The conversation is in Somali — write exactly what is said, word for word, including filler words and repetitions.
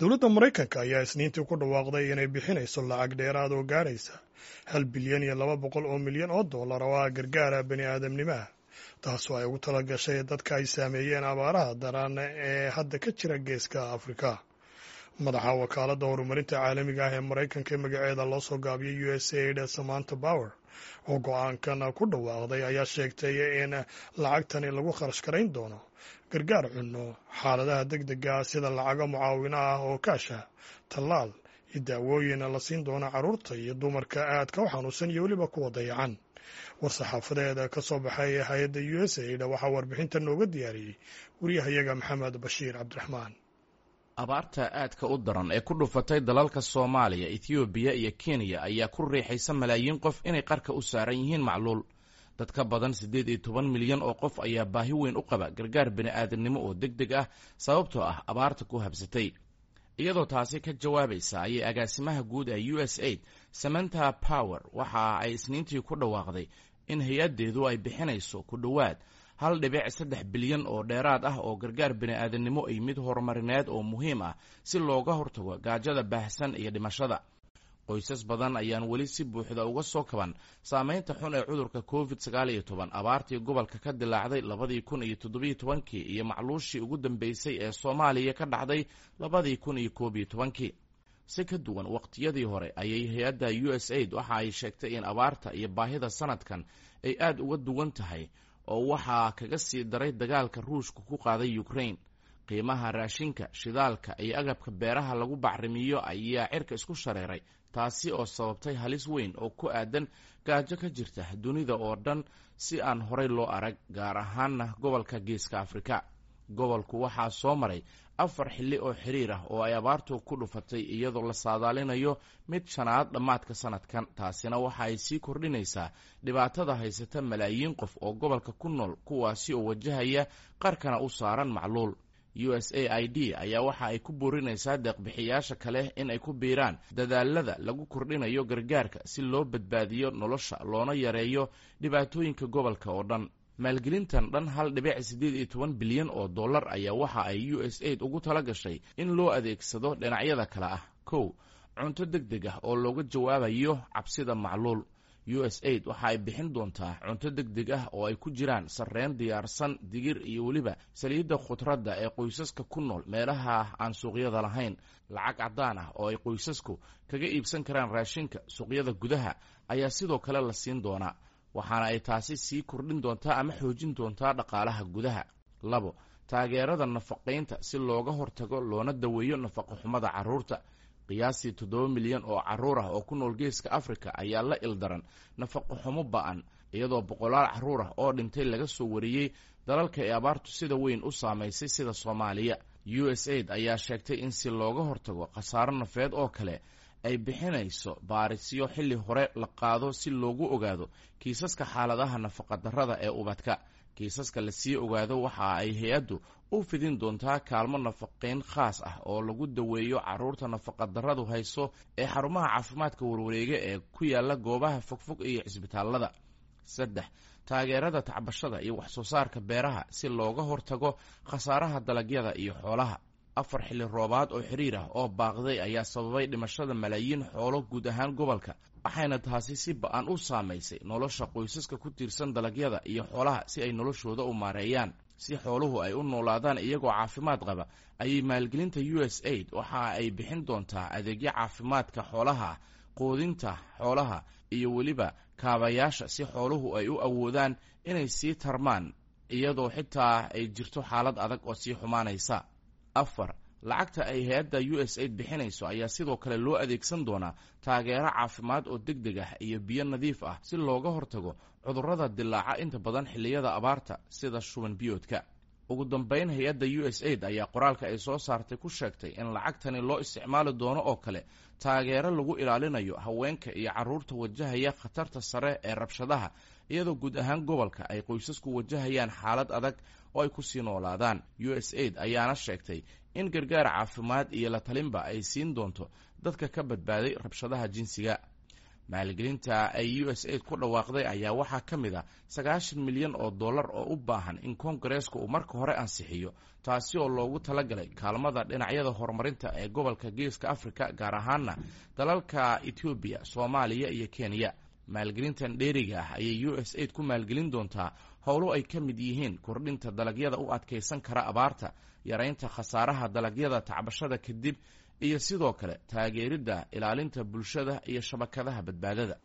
Dowladda Maraykanka ayaa Isniintii ku dhawaaqday inay bixinayso lacag dheeraad oo gaaraysa hal bilyan iyo laba boqol oo milyan oo dollar oo ah gargaara bani aadamnimaha, taasoo ay ugu tala gashay dadka ay saameeyeen abaaraha daran ee hadda ka jira Geeska Afrika. Madaxa wakaaladda horumarinta caalamiga ah ee Maraykanka ee magaceeda loo soo gaabiyay U S A I D, Samantha Power, oo go-aankan ku dhawaaqday, ayaa sheegtay in lacagtani lagu kharash garayn doono gargaar cunno, xaaladaha deg dega ah, sida lacago mucaawino ah oo kaasha, tallaal iyo daawooyin la siin doono carruurta iyo dumarka aadka u xanuunsan iyo weliba kuwa dayacan. War-saxaafadeed ka soo baxay hay-adda U S A I D waxaa warbixinta nooga diyaariyey wariyahayaga Maxamed Bashiir Cabdiraxmaan. Abaarta aadka u daran ee ku dhufatay dalalka Soomaaliya, Ethoobiya iyo Kenya ayaa ku riixaysa malaayiin qof inay qarka u saaran yihiin macluul. Dad ka badan siddeed iyo toban milyan oo qof ayaa baahi weyn u qaba gargaar bini'aadamnimo oo deg deg ah, sababtoo ah abaarta ku habsatay. Iyadoo taasi ka jawaabaysa ayay agaasimaha guud ee U S A I D, Samantha Power, waxa ay Isniintii ku dhawaaqday in hay-addeedu ay bixinayso ku dhowaad hal dhibic saddex bilyan oo dheeraad ah oo gargaar bini'aadamnimo iyo mid horumarineed oo muhiim ah, si looga hortago gaajada baahsan iyo dhimashada. Qoysas badan ayaan weli si buuxda uga soo kaban saameynta xun ee cudurka Covid sagaal iyo toban, abaartii gobolka ka dilaacday labadii kun iyo toddobiyo tobankii iyo macluushii ugu dambeysay ee Soomaaliya ka dhacday labadii kun iyo koob iyo tobankii. Si ka duwan waqtiyadii hore ayay hay-adda U S A I D waxa ay sheegtay in abaarta iyo baahida sanadkan ay aada uga duwan tahay, oo waxaa kaga sii daray dagaalka Ruushka ku qaaday Ukraine. Qiimaha raashinka, shidaalka iyo agabka beeraha lagu bacrimiyo ayaa cirka isku shareeray, taasi oo sababtay halis weyn oo ku aadan gaajo ka jirta dunida oo dhan si aan horay loo arag, gaar ahaana gobolka Geeska Afrika. Gobolku waxaa soo maray afar xilli oo xiriir ah oo ay abaartu ku dhufatay, iyadoo la saadaalinayo mid shanaad dhammaadka sanadkan. Taasina waxa ay sii kordhinaysaa dhibaatada haysata malaayiin qof oo gobolka ku nool, kuwaasi oo wajahaya qarkana u saaran macluul. U S A I D ayaa waxa ay ku boorinaysaa deeqbixiyaasha kale in ay ku biiraan dadaalada lagu kordhinayo gargaarka si loo badbaadiyo nolosha loona yareeyo dhibaatooyinka gobolka oo dhan. Maalgelintan dhan hal dhibic siddeed iyo toban bilyan oo dollar ayaa waxa ay U S A I D ugu tala gashay in loo adeegsado dhinacyada kale ah: kow, cunto deg deg ah oo looga jawaabayo cabsida macluul. U S A I D waxa ay bixin doontaa cunto deg deg ah oo ay ku jiraan sarreen diyaarsan, digir iyo weliba saliidda khudradda ee qoysaska ku nool meelaha aan suuqyada lahayn. Lacag caddaan ah oo ay qoysasku kaga iibsan karaan raashinka suuqyada gudaha ayaa sidoo kale la siin doonaa, waxaana ay taasi sii kordhin doontaa ama xoojin doontaa dhaqaalaha gudaha. Labo, taageerada nafaqaynta si looga hortago loona daweeyo nafaqo xumada carruurta. Qiyaastii toddoba milyan oo carruur ah oo ku nool Geeska Afrika ayaa la ildaran nafaqo xumo ba'an, iyadoo boqolaal carruur ah oo dhintay laga soo wariyey dalalka ay abaartu sida weyn u saamaysay, sida Soomaaliya. U S A I D ayaa sheegtay in si looga hortago khasaaro nafeed oo kale ay bixinayso baarisyo xilli hore la qaado si loogu ogaado kiisaska xaaladaha nafaqadarrada ee ubadka. Kiisaska lasii ogaado waxa ay hay-addu u fidin doontaa kaalmo nafaqayn khaas ah oo lagu daweeyo carruurta nafaqadarradu hayso ee xarumaha caafimaadka warwareega ee ku yaala goobaha fogfog iyo cisbitaalada. Saddex, taageerada tacbashada iyo waxsoo saarka beeraha si looga hortago khasaaraha dalagyada iyo xoolaha. Afar xilli roobaad oo xiriir ah oo baaqday ayaa sababay dhimashada malaayiin xoolo guud ahaan gobolka, waxayna taasi si ba-an u saamaysay nolosha qoysaska ku tiirsan dalagyada iyo xoolaha si ay noloshooda u maareeyaan. Si xooluhu ay u noolaadaan iyagoo caafimaad qaba ayay maalgelinta U S A I D waxa ay bixin doontaa adeegyo caafimaadka xoolaha, quudinta xoolaha iyo weliba kaabayaasha, si xooluhu ay u awoodaan inay sii tarmaan iyadoo xitaa ay jirto xaalad adag oo sii xumaanaysa. Afar, lacagta ay hay-adda U S A I D bixinayso ayaa sidoo kale loo adeegsan doonaa taageero caafimaad oo deg deg ah iyo biyo nadiif ah, si looga hortago cudurrada dilaaca inta badan xilliyada abaarta, sida shuban biyoodka. Ugu dambeyn, hay-adda U S A I D ayaa qoraalka ay soo saartay ku sheegtay in lacagtani loo isticmaali doono oo kale taageero lagu ilaalinayo haweenka iyo carruurta wajahaya khatarta sare ee rabshadaha, iyadoo guud ahaan gobolka ay qoysasku wajahayaan xaalad adag oo ay kusii noolaadaan. U S A I D ayaana sheegtay in gargaar caafimaad iyo la talinba ay siin doonto dadka ka badbaaday rabshadaha jinsiga. Maalgelinta ay U S aid ku dhawaaqday ayaa waxaa ka mid a sagaashan milyan oo dollar oo u baahan in koongareeska uu marka hore ansixiyo, taasi oo loogu talagalay kaalmada dhinacyada horumarinta ee gobolka Geeska Afrika, gaar ahaana dalalka Etoobiya, Soomaaliya iyo Kenya. Maalgelintan dheeriga ah ayay U S aid ku maalgelin doontaa howlo ay ka mid yihiin kordhinta dalagyada u adkaysan kara abaarta, yaraynta khasaaraha dalagyada tacbashada kadib, iyo sidoo kale taageeridda ilaalinta bulshada iyo shabakadaha badbaadada.